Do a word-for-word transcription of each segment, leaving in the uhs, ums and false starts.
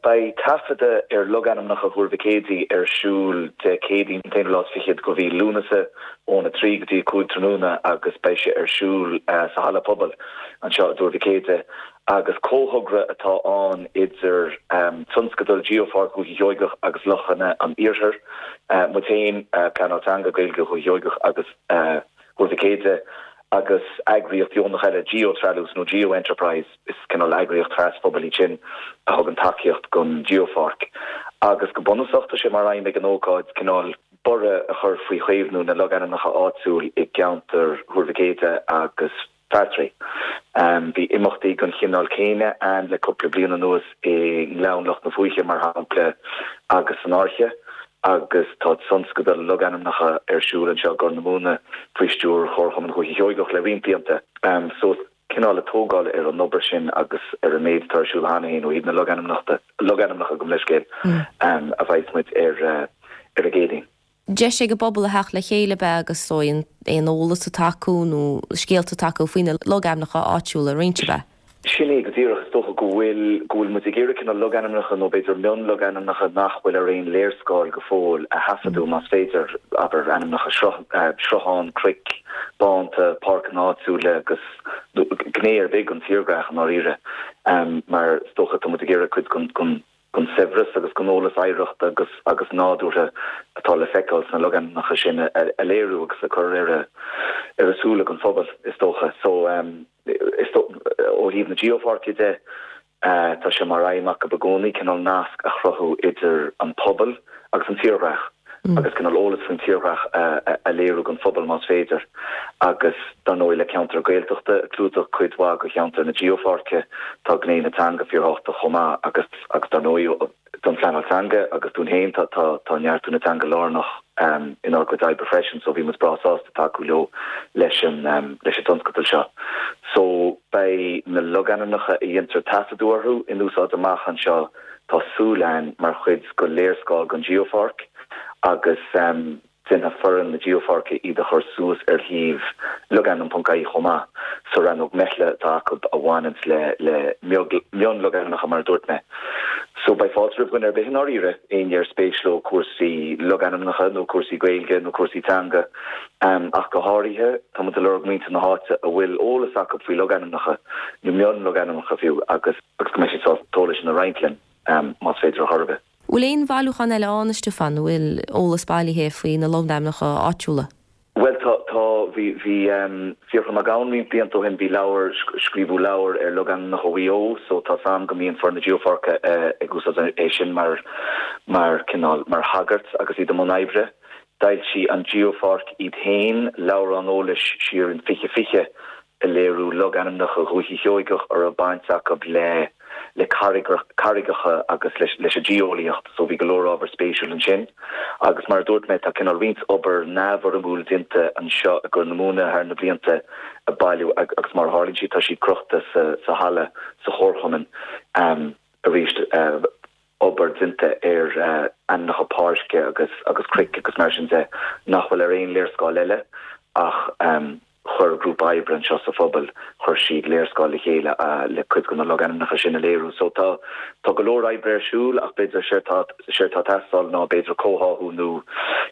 Beidh taifeadadh ar logainmneacha Thuar Mhic Éadaigh ar siúl Dé Céadaoin an t-aonú lá is fichead de mhí Lúnasa óna trí go dtí a cúig tráthnóna agus beidh sé ar siúl sa halla pobail anseo i dTuar Mhic Éadaigh agus comhthogra atá ann idir tionscadal Geopháirc Dhúiche Sheoigeach agus Lochanna an Iarthair, muid féin, Pleanáil Teanga Gaeilge Dhúiche Sheoigeach agus Thuar Mhic Éadaigh agus eagraíocht dheonach eile, Geo-Treallús nó Geo-Enterprise, is cineál eagraíocht trasphobail iad sin a thugann tacaíocht don Geopháirc. Agus go bunúsach tá sé mar aidhm ag an ócáid cineál borradh a chur faoi chaomhnú na logainmneacha áitiúil i gceantar Thuar Mhic Éadaigh agus Bheartraí. Bhí imeachtaí den chineál céanna ann le cúpla bliain anuas i nGleann Loch na Fúiche, mar shampla, agus san Fhairche, agus tá tionscadal logainmneacha ar siúl anseo i gCorr na Móna faoi stiúir Chomharchumann Dhúiche Sheoigeach le roinnt blianta. So, cineál ag tógáil ar an obair sin agus ar an méid atá ar siúl cheana féin ó thaobh na logainmneachta, logainmneacha gabh mo leithscéal, a bheidh muid ar ar an gCéadaoin. Deis ag an bpobal a theacht le chéile ab ea agus is dóigh aon eolas atá acu nó scéalta atá acu faoi na logainmneacha áitiúla a roinnt ab ea? Sin é go díreach. Is dócha go bhfuil go bhfuil muid ag iarraidh cineál logainmneacha nó b'fhéidir mionlogainmneacha nach bhfuil ar aon léarscáil go fóill a thaifeadadh más féidir, abair, ainmneacha sruthán, cnoic, bánta, páirceanna áitiúla agus gné ar bith den tírdhreach i ndáiríre mar is dócha tá muid ag iarraidh cuid den den saibhreas agus den eolas oidhreachta agus agus nádúrtha atá le feiceáil sna logainmneacha sin a léiriú agus a chur ar a ar a súile don phobal, is dócha. So is ó thaobh na Geopháirce de, tá sé mar aidhm acu i gcónaí cineál nasc a chruthú idir an pobal agus an tírdhreach. agus cineál eolas faoin tírdhreach a léiriú don phobal más féidir. Agus dar ndóigh le ceantar Gaeltachta ag clúdach cuid mhaith de cheantar na Geopháirce, tá gné na teanga fíorthábhachtach chomh maith agus agus dar ndóigh don phleanáil teanga agus dúinn féin tá tá tá neartú na teanga lárnach inár gcuid oibre freisin so bhí muid breá sásta tacú leo leis an leis an tionscadal seo. So beidh na logainmneacha a dhéantar taifeadadh orthu in úsáid amach anseo tá súil againn mar chuid de léarscáil den Geopháirc agus déanfaidh foireann na Geopháirce iad a chur suas ar shuíomh logainm ponc ie chomh maith, sa rannóg meithle atá acu a bhaineanns le le mionlogainmneacha mar a dúirt mé. So beidh fáilte roimh dhuine ar bith i ndáiríre, éinne ar spéis leo cúrsaí logainmneacha nó cúrsaí Gaeilge nó cúrsaí teanga ach go háirithe, tá muid ag lorg muintir na háite a bhfuil eolas acu faoi logainmneacha nó mionlogainmneacha fiú agus agus go mbeidh siad sásta an t-eolas sin a roinnt linn más féidir ar chor ar bith. Bhfuil aon bhailiúchán eile ann, a Stiofáin, a bhfuil eolas bailithe faoi na logainmneacha áitiúla? Bhuel tá, tá, bhí, bhí Fiachra Mac Gabhann roinnt blianta ó shin, bhí leabhar, scríobhadh leabhar ar logainmneacha Mhaigh Eo so tá 's a'm go mbíonn foireann na Geopháirce ag úsáid é sin mar, mar cineál, mar thagairt agus iad i mbun oibre. D'fhoilsigh an Geopháirc iad féin leabhrán eolais siar in fiche fiche ag léiriú logainmneacha Dhúiche Sheoigeach a raibh baint acu le le carraigeacha agus leis an geolaíocht so bhí go leor ábhar spéisiúil ansin. Agus mar a dúirt mé tá cineál roinnt obair neamhfhoirmiúil déanta anseo i gCorr na Móna thar na blianta ag bailiú agus mar a tharlaíonn sé tá siad crochta sa sa halla sa chomharchumann arís. Obair déanta ar ainmneacha páirce agus agus cnoic agus mar sin de nach bhfuil ar aon léarscáil eile ach chuir grúpa oibre anseo sa phobal, chuir siad léarscáil le chéile le cuid de na logainmneacha sin a léiriú. So tá tá go leor oibre ar siúl ach b'fhéidir séard tá séard tá ag teastáil ná b'fhéidir comhtháthú nó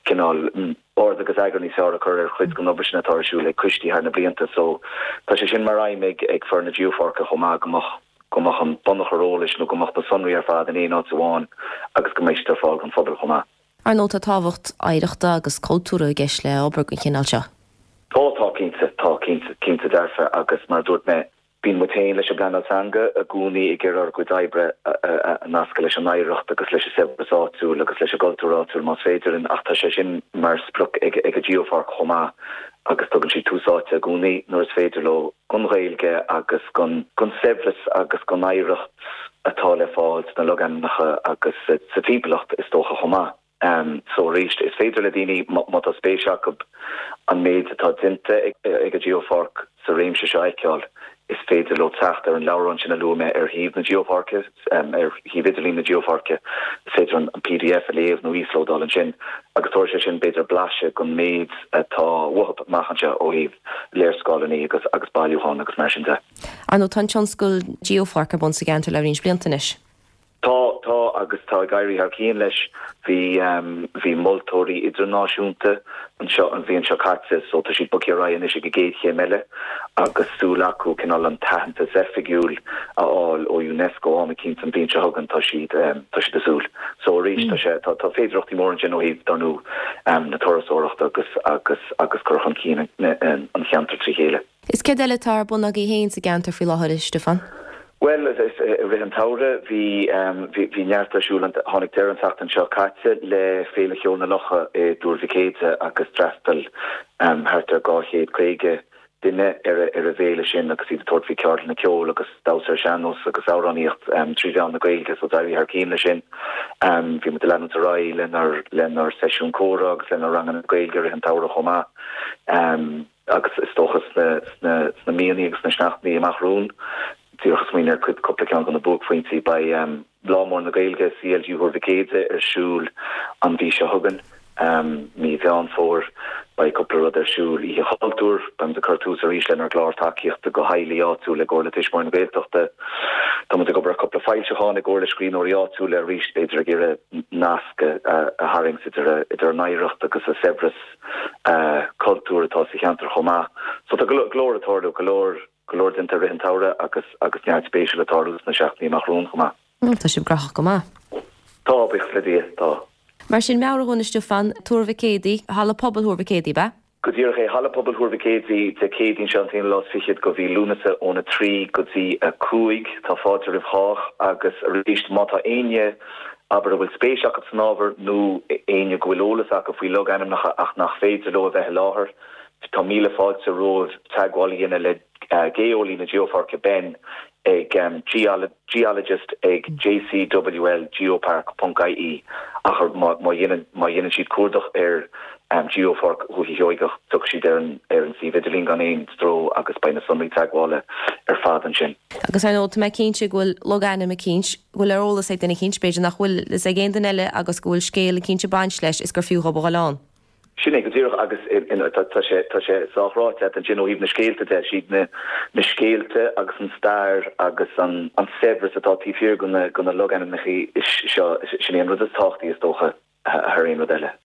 cineál ord agus eagar níos fearr a chur ar chuid den obair sin atá ar siúl ag coistí thar na blianta. So tá sé sin mar aidhm ag ag foireann na Geopháirce chomh maith go mbeadh go mbeadh an bunachar eolais nó go mbeadh na sonraí ar fad in aon áit amháin agus go mbeidh siad ar fáil don phobal chomh maith. Ar ndóigh tá tábhacht oidhreachta agus cultúrtha i gceist le obair den chineál seo. Tá, tá cinnte, tá cinnte, cinnte dearfa agus mar a dúirt mé, bíonn muid féin leis an bpleanáil teanga i gcónaí ag iarraidh ár gcuid oibre a nascadh leis an oidhreacht agus leis an saibhreas áitiúil agus leis an gcultúr áitiúil más féidir linn ach tá sé sin mar sprioc ag ag an Geopháirc chomh maith agus tugann siad tús áite i gcónaí nuair is féidir leo don Ghaeilge agus don don saibhreas agus don oidhreacht atá le fáil sna logainmneacha agus sa timpeallacht is dócha chomh maith. So arís, is féidir le daoine, má tá spéis acu an méid atá déanta ag an Geopháirc sa réimse seo a fheiceáil, is féidir leo teacht ar an leabhrán sin a luaigh mé ar shuíomh na Geopháirce, ar shuíomh idirlín na Geopháirce. Is féidir an pdf a léamh nó íoslódáil ansin agus tabharfaidh sé sin b'fhéidir blaiseadh den méid atá uathu amach anseo ó thaobh léarscáileanna agus agus bailiúchán agus mar sin de. Ar ndóigh tá an tionscadal Geopháirc ar bun sa gceantar le roinnt blianta anois. Tá tá agus tá ag éirí thar cionn leis bhí um, bhí moltóirí idirnáisiúnta anseo an bhliain seo caite so tá siad bogtha ar aghaidh anois ag an gcéad chéim eile agus súil acu cineál an t-aitheantas oifigiúil a fháil ó UNESCO am éicint an bhliain seo chugainn tá siad um, tá siad ag súil. So arís tá sé tá tá féidearthachtaí mór ansin ó thaobh dar ndóigh um, na turasóireachta agus agus agus cur chun cinn an, an cheantar trí chéile. Is céard eile atá ar bun agaibh féin sa gceantar faoi láthair Stiofán? Well i rith an tsamhraidh bhí bhí neart ar siúl tháinig deireadh an tseachtain seo caite le Féile Cheoil na Locha i dTuar Mhic Éadaigh agus d'fhreastail um, thart ar dhá chéad caoga duine ar ar an bhféile sin agus iad ag tabhairt faoi ceardlanna ceoil agus damhsa ar sean-nós agus amhránaíocht um, trí mheán na Gaeilge so d'éirigh thar cionn leis sin. Um, bhí muid leanúint ar aghaidh lenár lenár seisiún comhrá agus lenár ranganna Gaeilge i rith an tsamhraidh chomh maith. Um, agus is dócha sna sna sna míonna agus na seachtainí amach romhainn díreach smaoineamh ar cuid cúpla ceann de na buaicphointí beidh um, Lá Mór na Gaeilge CLG Thuar Mhic Éadaigh ar siúl an mhí seo chugainn um, mí Mheán Fómhair beidh cúpla rud ar siúl Oíche Chultúir beimid ag cur tús arís lenár gclár tacaíochta do theaghlaigh áitiúil i gcomhar le Tuismitheoirí na Gaeltachta. Tá muid ag obair cúpla foilseachán i gcomhar le scríbhneoirí áitiúil arís b'fhéidir ag iarraidh nasc a tharraingt idir idir an oidhreacht agus an saibhreas uh, cultúir atá sa cheantar chomh maith. So tá go leor ag tarlú go leor go leor déanta i rith an tsamhraidh agus agus neart spéisiúil ag tarlú sna seachtainí amach romhainn chomh maith. Tá sibh gnóthach go maith. Tá buíochas le Dia tá. Mar sin meabhraigh dúinn Stiofán Tuar Mhic Éadaigh halla pobail Thuar Mhic Éadaigh ab ea? Go díreach é halla pobail Thuar Mhic Éadaigh Dé Céadaoin seo an t-aonú lá is fichead de mhí Lúnasa óna trí go dtí a cúig tá fáilte roimh chách agus arís má tá éinne abair a bhfuil spéis acu san ábhar nó éinne go bhfuil eolas acu faoi logainmneacha ach nach féidir leo a bheith i láthair, tá míle fáilte romhaibh teagmháil a dhéanamh le uh, geolaí na Geopháirce Ben ag um, geologist ag jcwl geopark.ie ach má dhéanann siad cuardach ar um, Geopháirc Dhúiche Sheoigeach tiocfaidh siad ar an ar an suíomh idirlín gan aon stró agus beidh na sonraí teagmhála ar fad ansin. Agus ar ndóigh mé cinnte go bhfuil logainm eicínt bhfuil ar eolas ag duine eicínt b'fhéidir nach bhfuil a fhios ag aon duine eile agus go bhfuil scéal eicínt ag baint leis is gur fiú a ghabháil ann. Sin é go díreach agus tá sé tá sé sách ráite ansin ó thaobh na scéalta de siad na na scéalta agus an stair agus an an saibhreas atá taobh thiar de na de na logainmneacha seo sin an rud is tábhachtaí is dócha thar aon rud eile.